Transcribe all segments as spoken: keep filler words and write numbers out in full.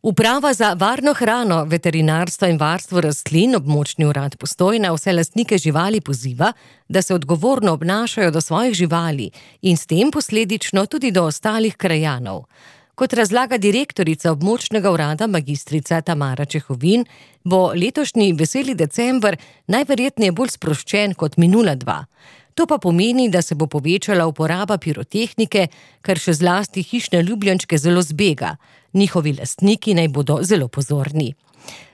Uprava za varno hrano, veterinarstvo in varstvo rastlin, območni urad Postojna, vse lastnike živali poziva, da se odgovorno obnašajo do svojih živali in s tem posledično tudi do ostalih krajanov. Kot razlaga direktorica območnega urada magistrica Tamara Čehovin, bo letošnji veseli december najverjetneje bolj sproščen kot minula dva. To pa pomeni, da se bo povečala uporaba pirotehnike, kar še zlasti hišne ljubljenčke zelo zbega. Njihovi lastniki naj bodo zelo pozorni.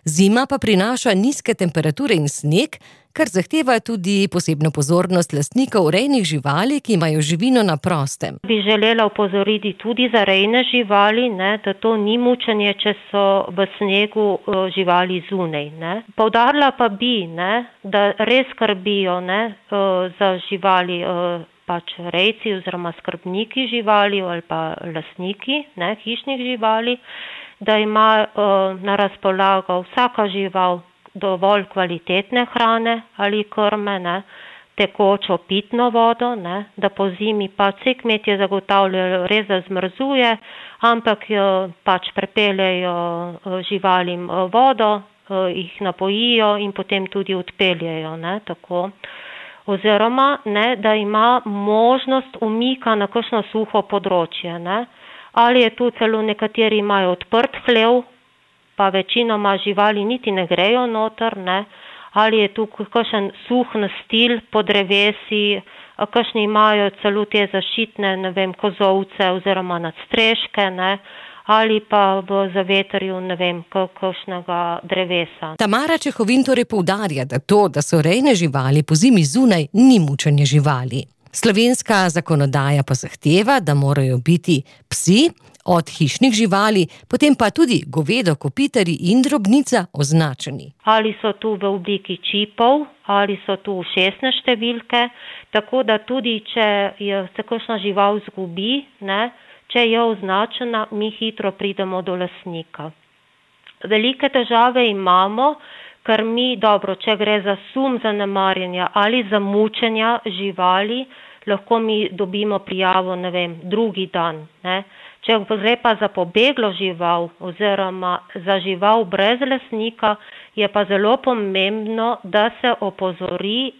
Zima pa prinaša nizke temperature in sneg, kar zahteva tudi posebno pozornost lastnikov rejnih živali, ki imajo živino na prostem. Bi želela opozoriti tudi za rejne živali, ne, da to ni mučenje, če so v snegu uh, živali zunaj. Ne. Poudarila pa bi, ne, da res skrbijo ne, uh, za živali uh, pač rejci oziroma skrbniki živali ali pa lastniki ne, hišnih živali, da ima uh, na razpolago vsaka žival dovolj kvalitetne hrane ali krme, ne, tekočo pitno vodo, ne, da po zimi pa vsi kmetje zagotavljajo res, da zmrzuje, ampak jo pač prepeljejo živalim vodo, jih napojijo in potem tudi odpeljejo, ne, tako. Oziroma, ne, da ima možnost umika na kakšno suho področje, ne. Ali je tu celo nekateri imajo odprt hlev, pa večinoma živali niti ne grejo noter, ne. Ali je tu kakšen suh nastil po drevesi, kakšni imajo celo te zaščitne, ne vem, kozolce oziroma nadstreške, ne. Ali pa v zavetrju, ne vem, kakšnega drevesa. Tamara Čehovin torej poudarja, da to, da so rejne živali po zimi zunaj, ni mučenje živali. Slovenska zakonodaja pa zahteva, da morajo biti psi od hišnih živali, potem pa tudi govedo, kopitarji in drobnica označeni. Ali so tu v obliki čipov, ali so tu ušesne številke, tako da tudi, če je se kakšna žival zgubi, ne, če je označena, mi hitro pridemo do lastnika. Velike težave imamo, ker mi, dobro, če gre za sum zanemarjanja ali za mučenja živali, lahko mi dobimo prijavo, ne vem, drugi dan, ne. Če gre pa za pobeglo žival oziroma za žival brez lastnika, je pa zelo pomembno, da se opozori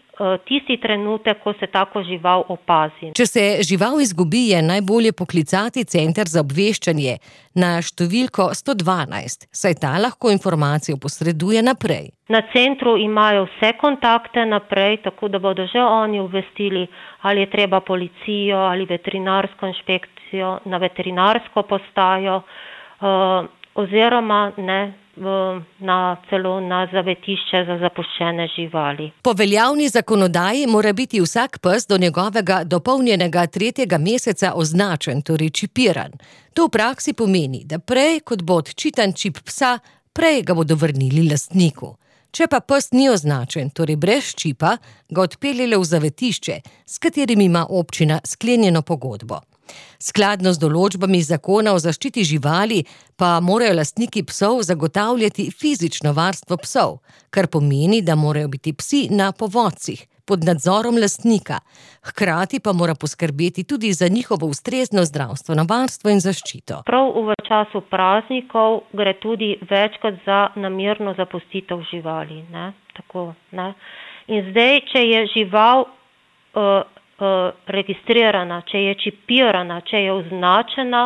tisti trenutek, ko se tako žival opazi. Če se žival izgubi, je najbolje poklicati center za obveščanje na številko sto dvanajst, saj ta lahko informacijo posreduje naprej. Na centru imajo vse kontakte naprej, tako da bodo že oni obvestili, ali je treba policijo ali veterinarsko inšpekcijo na veterinarsko postajo, uh, oziroma ne, na celo na zavetišče za zapuščene živali. Po veljavni zakonodaji mora biti vsak pes do njegovega dopolnjenega tretjega meseca označen, torej čipiran. To v praksi pomeni, da prej, kot bo odčitan čip psa, prej ga bodo vrnili lastniku. Če pa pes ni označen, torej brez čipa, ga odpeljele v zavetišče, s katerim ima občina sklenjeno pogodbo. Skladno z določbami zakona o zaščiti živali pa morajo lastniki psov zagotavljati fizično varstvo psov, kar pomeni, da morajo biti psi na povodcih, pod nadzorom lastnika. Hkrati pa mora poskrbeti tudi za njihovo ustrezno zdravstveno varstvo in zaščito. Prav v času praznikov gre tudi večkrat za namerno zapustitev živali, ne, tako, ne. In zdaj, če je žival uh, registrirana, če je čipirana, če je označena,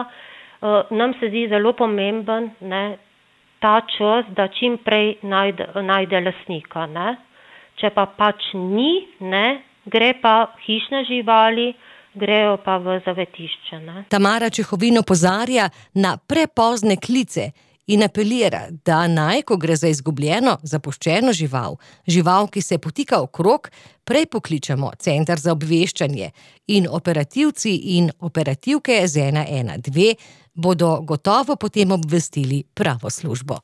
nam se zdi zelo pomemben, ne, ta čas, da čim prej najde, najde lastnika. Ne. Če pa pač ni, ne, gre pa hišne živali, grejo pa v zavetišče. Ne. Tamara Čehovin opozarja na prepozne klice in apelira, da naj, ko gre za izgubljeno, zapuščeno žival, žival, ki se potika okrog, prej pokličemo center za obveščanje in operativci in operativke z ena ena dve bodo gotovo potem obvestili pravo službo.